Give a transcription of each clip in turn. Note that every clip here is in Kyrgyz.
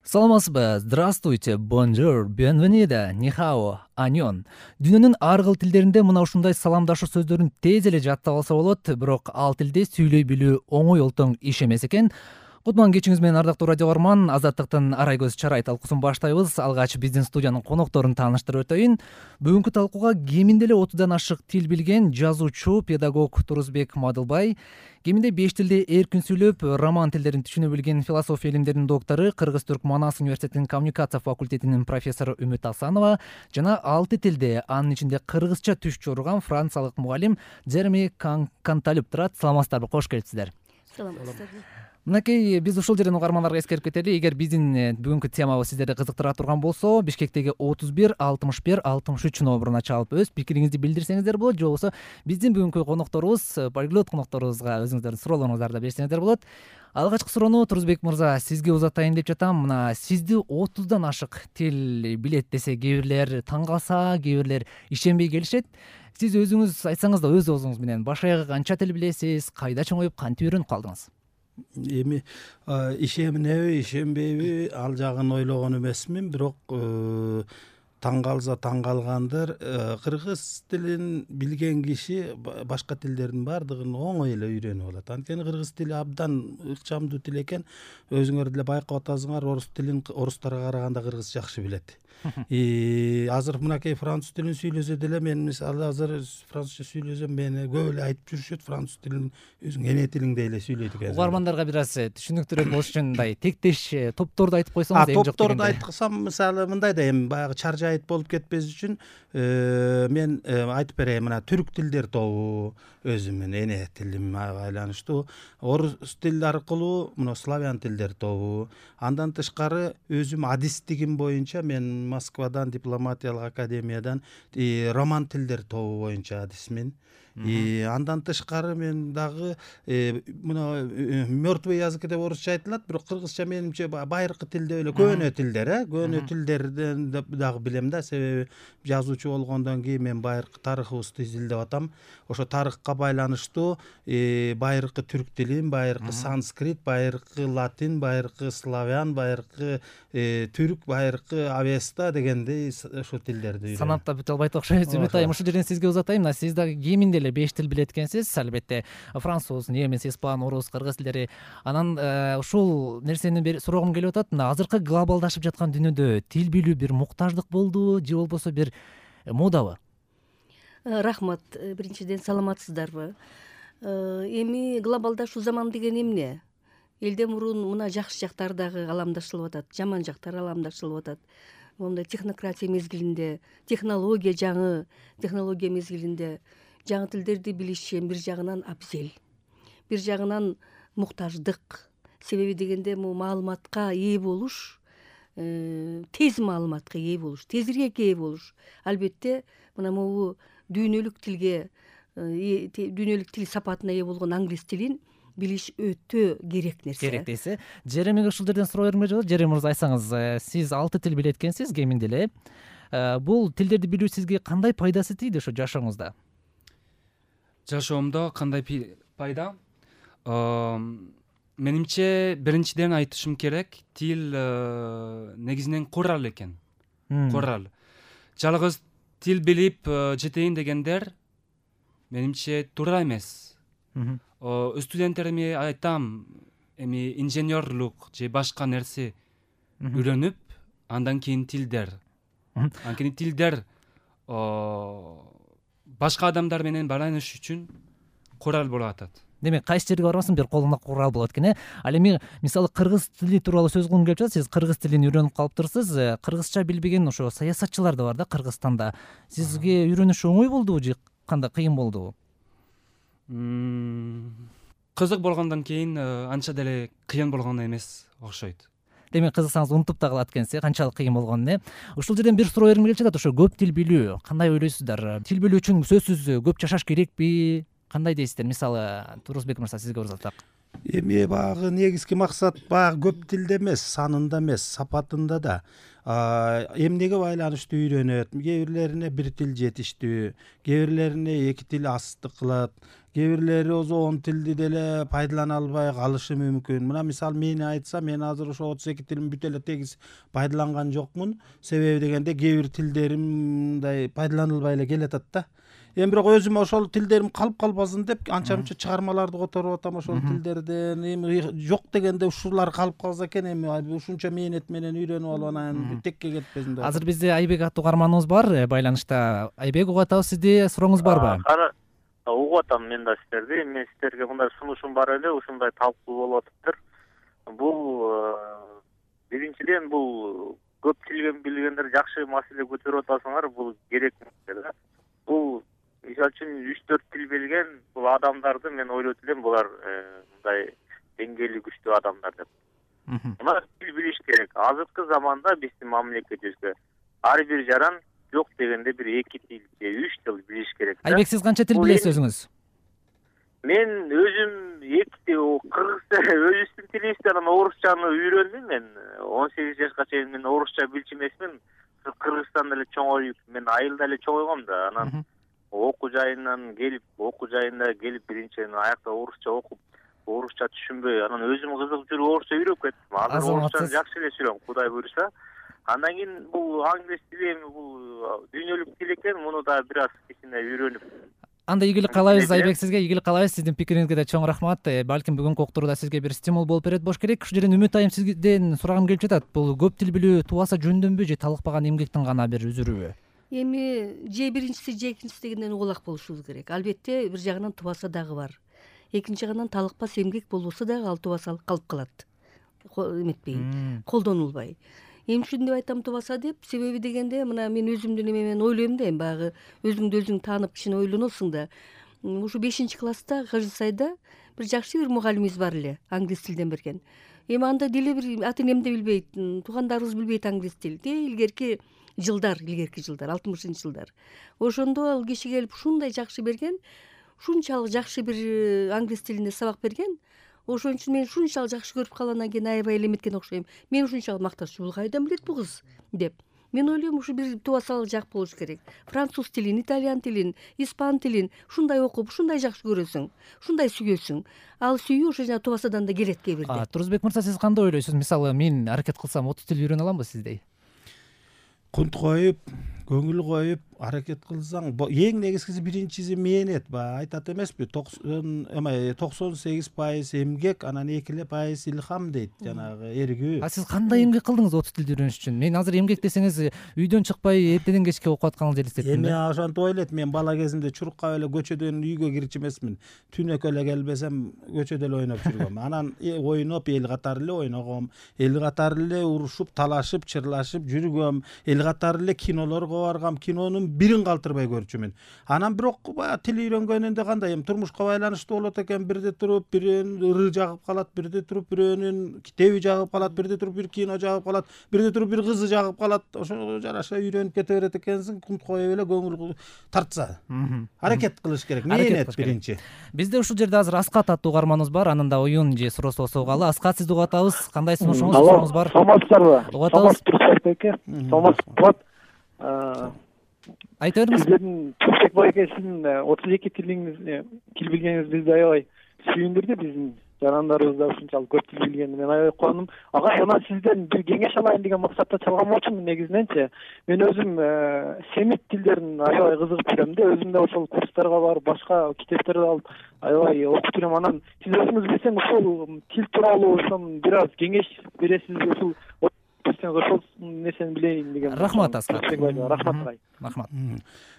Саламатсызбы? Здравствуйте, бонжур, бенвенида, нихао, аньон. Дүйнөнүн ар кыл тилдеринде мына ушундай саламдашуу сөздөрүн тез эле жаттап алса болот, бирок ал тилде сүйлөй билүү оңой олтоң иш эмес экен. Кутман кечиңиз менен ардактуу радио угарман, Азаттыктын Арай көз чарай талкуусун баштайбыз. Алгач биздин студиянын конокторун тааныштырып өтөйүн. Бүгүнкү талкууга кеминде эле 30дан ашык тил билген жазуучу, педагог Турузбек Мадылбай, кеминде 5 тилде эркин сүйлөп, роман тилдерин түшүнө билген философия илимдеринин доктору, Кыргыз-Түрк Манас университетинин коммуникация факультетинин профессору Үмүт Асанова жана 6 тилде, анын ичинде кыргызча түш чорурган франциялык мугалим Жереми Канталюк турат. Саламатсыздарбы? Кош келипсиздер. Саламатсыздарбы. Мынакей биз ушул жерден угармандарга эскерип кетели. Эгер биздин бүгүнкү темабыз сиздерди кызыктыра турган болсо, Бишкектеги 31 61 63 номуруна чалып өз пикириңизди билдирсеңиздер болот, же болбосо биздин бүгүнкү конокторубуз, полиглот конокторубузга өзүңүздөрдүн суроолоруңуздарды берсеңиздер болот. Алгачкы суроону Турузбек мырза сизге узатайын деп жатам. Мына сизди 30дан ашык тил билет десе, кээ бирлер таң калса, кээ бирлер ишенбей келишет. Сиз өзүңүз айтсаңыз да, өз оозуңуз менен баш аягы канча тил билесиз, кайда чоңоюп, кантип үйрөнүп калдыңыз? Эми ишенеби, ишенбейби ал жагын ойлогон эмесмин, бирок таң калса таң калгандыр. Кыргыз тилин билген киши башка тилдердин баардыгын оңой эле үйрөнүп алат. Анткени кыргыз тили абдан ыкчамдуу тил экен. Өзүңөр деле байкап атасыңар, орус тилин орустарга караганда кыргыз жакшы билет. Азыр мынакей француз тилин сүйлөсө деле, мен мисалы азыр французча сүйлөсөм, мени көп эле айтып жүрүшөт, француз тилин өзүң эне тилиңдей эле сүйлөйт экен. Угармандарга бир аз түшүнүктүүрөөк болуш үчүн мындай тектеш топторду айтып койсоңуз, эң жок топторду айтсам, мисалы мындай да, эми баягы чаржайыт болуп кетпеш үчүн мен айтып берейин. Мына түрк тилдер тобу өзүмүн эне тилиме байланыштуу, орус тил аркылуу мына славян тилдер тобу. Андан тышкары өзүм адистигим боюнча мен Москвадан, дипломатиялык академиядан роман тилдер тобу боюнча адисмин. Андан тышкары мен дагы мына мертвый язык деп орусча айтылат, бирок кыргызча менимче байыркы тилде эле көөнө тилдер, көөнө тилдерден дагы билем да. Себеби жазуучу болгондон кийин мен байыркы тарыхыбызды изилдеп атам. Ошо тарыхка байланыштуу байыркы түрк тилин, байыркы санскрит, байыркы латин, байыркы славян, байыркы түрк, байыркы авеста дегендей ошо тилдерди санап да бүтө албайт окшойт. Үмүт айым, ушул жерден сизге узатайын. Мына сиз дагы кеминде эле 5 тил билет экенсиз. Албетте француз, немис, испан, орус, кыргыз тилдери. Анан ушул нерсени сурогум келип атат. Мына азыркы глобалдашып жаткан дүйнөдө тил билүү бир муктаждык болдубу, же болбосо бир модабы? Рахмат. Биринчиден саламатсыздарбы? Эми глобалдашуу заман деген эмне? Элден мурун мына жакшы жактары дагы аламдашылып атат, жаман жактары аламдашылып атат. Мондай технократия мезгилинде, жаңы технология мезгилинде жаңы тилдерди билиш бир жагынан абзел, бир жагынан муктаждык. Себеби дегенде маалыматка ээ болуш, тез маалыматка ээ болуш, тезирээк ээ болуш. Албетте мына могу дүйнөлүк тил сапатына ээ болгон англис тилин билиш өтө керек нерсе. Керек дейсиз. Жеремиге ушул жерден суроо бергим келип атат. Жереми мырза, айтсаңыз, сиз 6 тил билет экенсиз кеминде эле. Бул тилдерди билүү сизге кандай пайдасы тийди ошо жашооңузда? Жашоомдо кандай пайда? Менимче биринчиден айтышым керек, тил негизинен курал экен. Курал. Жалгыз тил билип жетейин дегендер менимче туура эмес. Студенттериме айтам, эми инженерлук же башка нерсе үйрөнүп, андан кийин тилдер. Анткени тилдер башка адамдар менен байланыш үчүн курал болуп атат. Демек, кайсы жерге барбасын бир колуңда курал болот экен, Ал эми мисалы кыргыз тили тууралуу сөз кылгым келип жатат. Сиз кыргыз тилин үйрөнүп калыптырсыз. Кыргызча билбеген ошо саясатчылар да бар да Кыргызстанда. Сизге үйрөнүш оңой болдубу же кандай кыйын болдубу? Кызык болгондон кийин анча деле кыйын болгон эмес окшойт. Демек, кызыксаңыз унутуп да калат экенсиз, канчалык кыйын болгонун. Ушул жерден бир суроо бергим келип жатат. Ошо көп тил билүү кандай ойлойсуздар? Тил билүү үчүн сөзсүз көп жашаш керекпи? Кандай дейсиздер? Мисалы, Турузбек мырза, сизге узатсак. Эми баягы негизги максат баягы көп тилде эмес, санында эмес, сапатында да. Эмнеге байланыштуу үйрөнөт? Кээ бирлерине бир тил жетиштүү, кээ бирлерине эки тил астык кылат, кээ бирлери өзү 10 тилди деле пайдалана албай калышы мүмкүн. Мына мисалы мени айтса, мен азыр ошо 32 тилин бүт эле тегиз пайдаланган жокмун. Себеби дегенде кээ бир тилдерим мындай пайдаланылбай эле келатат да. Эми бирок өзүм ошол тилдерим калып калбасын деп анча мынча чыгармаларды которуп атам ошол тилдерден. Эми жок дегенде ушулар калып калса экен, эми ушунча мээнет менен үйрөнүп алып анан текке кетпесин деп. Азыр бизде Айбек аттуу угарманыбыз бар байланышта. Айбек, угуп атабыз сизди, сурооңуз барбы? Угуп атам мен да сиздерди. Мен сиздерге мындай сунушум бар эле, ушундай талкуу болуп атыптыр. Бул биринчиден бул көп тил билгендер жакшы маселе көтөрүп атасыңар, бул керек да. Бул мисалы үчүн 3-4 тил билген бул адамдарды мен ойлойт элем, булар мындай деңгээли күчтүү адамдар деп. Мына тил билиш керек. Азыркы заманда биздин мамлекетибизде ар бир жаран жок дегенде бир 2 тил же 3 тил билиш керек. Айбек, сиз канча тил билесиз өзүңүз? Мен өзүм 2 тил, кыргызча өзүбүздүн тилибизди, анан орусчаны үйрөндүм мен. 18 жашка чейин мен орусча билчү эмесмин. Кыргызстанда эле чоңоюп, мен айылда эле чоңойгом да. Анан окуу жайынан келип биринчиден аякта орусча окуп, орусча түшүнбөй, анан өзүм кызыгып жүрүп орусча үйрөнүп кеттим. Азыр орусчаны жакшы эле сүйлөйм, Кудай буйруса. Андан кийин бул англис тили, эми бул дүйнөлүк тил экен, муну да бир аз кичине үйрөнүп. Анда ийгилик каалайбыз Айбек, сизге ийгилик каалайбыз. Сиздин пикириңизге да чоң рахмат. Балким бүгүнкү уктурууда сизге бир стимул болуп берет болуш керек. Ушул жерден Үмүт айым, сизден сурагым келип жатат. Бул көп тил билүү тубаса жөндөмбү же талыкпаган эмгектин гана бир үзүрүбү? Эми же биринчиси же экинчиси дегенден угулак болушубуз керек. Албетте бир жагынан тубаса дагы бар. Экинчи жагынан талыкпас эмгек болбосо дагы ал тубаса калып калат. Эметпей, колдонулбай. Эмне үчүн деп айтам тубаса деп? Себеби дегенде мына мен өзүмдүн эменен ойлойм да, эми баягы өзүңдү өзүң таанып кичине ойлоносуң да. Ушу 5-класста Кыжысайда бир жакшы бир мугалимибиз бар эле, англис тилден берген. Эми анда деле бир ата энем да билбейт, туугандарыбыз билбейт англис тилди. Илгерки жылдар, 60-жылдар. Ошондо ал киши келип ушундай жакшы берген, ушунчалык жакшы бир англис тилинде сабак берген. Ошон үчүн мен ушунчалык жакшы көрүп калгандан кийин аябай элеметкен окшойм. Мен ушунчалык макташчу, бул кайдан билет бул кыз деп. Мен ойлойм, ушу бир тубасалык жак болуш керек. Француз тилин, итальян тилин, испан тилин ушундай окуп, ушундай жакшы көрөсүң, ушундай сүйөсүң. Ал сүйүү ошо жана тубасадан да келет кээ бирде. Турузбек мырза, сиз кандай ойлойсуз? Мисалы, мен аракет кылсам 30 тил үйрөнө аламбы сиздей? Кунт коюп, көңүл коюп аракет кылсаң, эң негизгиси биринчиси мээнет. Айтат эмеспи, 98% эмгек, анан 2% илхам дейт, жанагы эргүү. Сиз кандай эмгек кылдыңыз 30 тилди үйрөнүш үчүн? Мен азыр эмгек десеңиз, үйдөн чыкпай эртеден кечке окуп атканыңызды элестеттим. Эми ошентип ойлойт, мен бала кезимде чурукка эле көчөдөн үйгө кирчү эмесмин. Түнөккө эле келбесем, көчөдө эле ойноп жүргөм. Анан ойноп эл катары эле ойногом, эл катары эле урушуп, талашып, чырлашып жүргөм, эл катары эле кинолорго баргам, кинонун бирин калтырбай көрчүмүн. Анан бирок тил үйрөнгөнүндө кандай, эми турмушка байланыштуу болот экен, бирде туруп бирөөнүн ыры жагып калат, бирде туруп бирөөнүн китеби жагып калат, бирде туруп бир кино жагып калат, бирде туруп бир кызы жагып калат. Ошо жараша үйрөнүп кете берет экенсиң, кунт коюп эле көңүл тартса. Аракет кылыш керек, мээнет биринчи. Бизде ушул жерде азыр Аскат аттуу угарманыбыз бар, анын да оюн же суроосу болсо угалы. Аскат, сизди угуп атабыз. Кандай сунушуңуз бар? Саламатсыздарбы? Угуп атабыз. Саламатсызбы? Айта бериңиз. Сиздердин Турсек байке, сиздин 32 тил билгениңиз бизди аябай сүйүндүрдү. Биздин жарандарыбыз да ушунчалык көп тил билгени мен аябай кубандым. Ага, анан сизден бир кеңеш алайын деген максатта чалган болчумун негизиненчи. Мен өзүм семит тилдерин аябай кызыгып жүрөм да, өзүм да ошол курстарга барып, башка китептерди алып аябай окуп жүрөм. Анан сиз өзүңүз билсең, ушул тил тууралуу ошон бир аз кеңеш бересизби? Ушул ошол нерсени билейин деген. Рахмат, Аскат. Рахмат. Рахмат.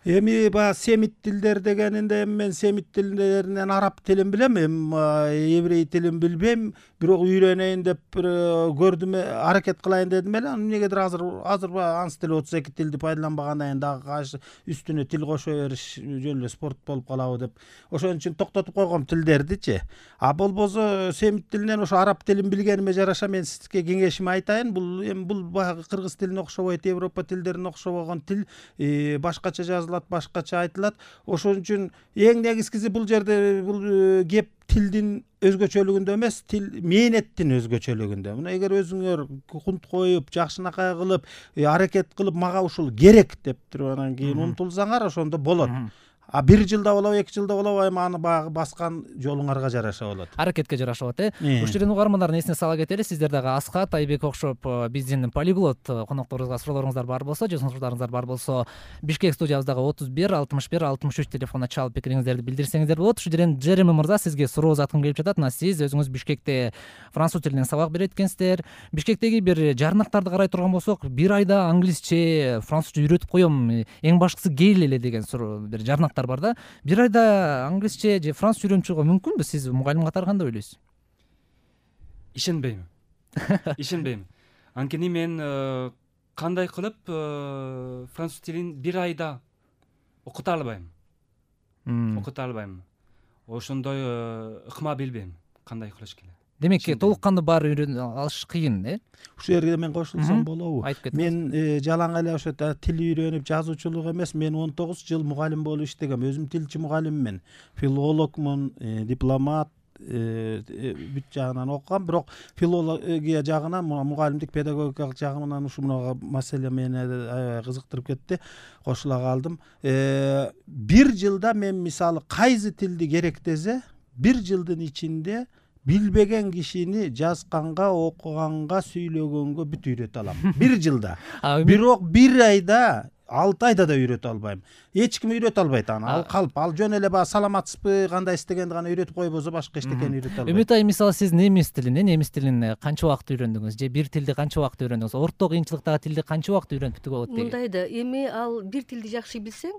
Эми баягы семит тилдер дегенинде мен семит тилдеринен араб тилин билем, еврей тилин билбейм, бирок үйрөнөйүн деп көрдүм, аракет кылайын дедим эле. Эмнегедир азыр баягы анс тили 32 тилди пайдаланбагандан кийин дагы үстүнө тил кошо бериш жөн эле спорт болуп калабы деп ошон үчүн токтотуп койгом тилдердичи. А болбосо семит тилинен ошо араб тилин билгениме жараша мен сизге кеңешими айтайын. Бул эми бул баягы кыргыз тилине окшобойт, Европа тилдерине окшобогон тил, башкача жазылат, башкача айтылат. Ошон үчүн эң негизгиси бул жерде бул кеп тилдин өзгөчөлүгүндө эмес, тил мээнеттин өзгөчөлүгүндө. Мына эгер өзүңөр кунт коюп, жакшынакай кылып, аракет кылып, мага ушул керек деп туруп анан кийин умтулсаңар, ошондо болот. А 1 жылда болобу, 2 жылда болобу, эми аны баягы баскан жолуңарга жараша болот. Аракетке жараша болот, Ушул жерден угармандардын эсине сала кетели. Сиздер дагы Аскат, Айбек окшоп биздин полиглот конокторубузга суроолоруңуздар бар болсо, же сунуштарыңыздар бар болсо, Бишкек студиябыздагы 31 61 63 телефонуна чалып пикириңиздерди билдирсеңиздер болот. Ушул жерден Джереми мырза сизге суроо узаткым келип жатат. Мына сиз өзүңүз Бишкекте француз тилинен сабак берет экенсиздер. Бишкектеги бир жарнактарды карай турган болсок, 1 айда англисче, французча үйрөтүп коем, эң башкысы кейил эле деген бир жарнак бар да. 1 айда англисче же французча үйрөнүп чыгууга мүмкүнбү? Сиз мугалим катары кандай ойлойсуз? Ишенбейм. Ишенбейм. Анткени мен кандай кылып француз тилин 1 айда окута албайм. Ошондой ыкма билбейм кандай кылыш керек. Демек, толук кандуу баары үйрөнүп алыш кыйын, Ушул жерге мен кошулсам болобу? Айтып кетиңиз. Мен жалаң эле ошо тил үйрөнүп, жазуучулук эмес, мен 19 жыл мугалим болуп иштегем. Өзүм тилчи мугалиммин, филологмун, дипломат, бүт жагынан окугам, бирок филология жагынан, мугалимдик педагогикалык жагынан ушул маселе мени аябай кызыктырып кетти. Кошула калдым. 1 жылда мен мисалы кайсы тилди керек десе, 1 жылдын ичинде билбеген кишини жазганга, окуганга, сүйлөгөнгө бүт үйрөтө алам. 1 жылда. Бирок 1 айда, 6 айда да үйрөтө албайм. Эч ким үйрөтө албайт аны. Ал калп, ал жөн эле баягы саламатсызбы, кандай истегенди гана үйрөтүп койбосо башка эчтекени үйрөтө албайт. Үмүт айым, мисалы сиз немис тилин канча убакыт үйрөндүңүз, же бир тилди канча убакыт үйрөндүңүз? Орто кыйынчылыктагы тилди канча убакыт үйрөнүп бүтүгө болот дейт? Мындай да, эми ал бир тилди жакшы билсең,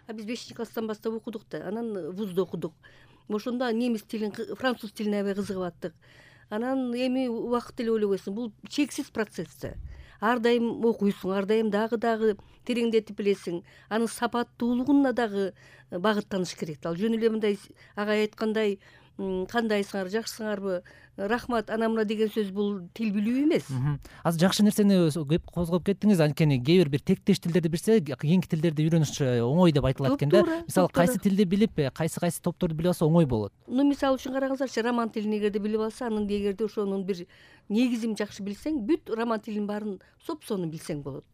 а биз 5-класстан баштап окудук да, анан вузда окудук. Ошондо немис тилин, француз тилине аябай кызыгып аттык. Анан эми убакыт эле ойлобойсуң, бул чексиз процесс да. Ар дайым окуйсуң, ар дайым дагы тереңдетип билесиң. Анын сапаттуулугуна дагы багыттаныш керек. Ал жөн эле мындай агай айткандай, кандайсыңар, жакшысыңарбы, рахмат, анамына деген сөз бул тил билүү эмес. Азыр жакшы нерсени кеп козгоп кеттиңиз. Анткени кээ бир тектеш тилдерди билсе, кийинки тилдерди үйрөнүш оңой деп айтылат экен да. Мисалы кайсы тилди билип, кайсы топторду билип алса оңой болот. Мисалы үчүн караңыздарчы, роман тилин эгерде билип алса, анын эгерде ошонун бир негизин жакшы билсең, бүт роман тилинин баарын соп сонун билсең болот.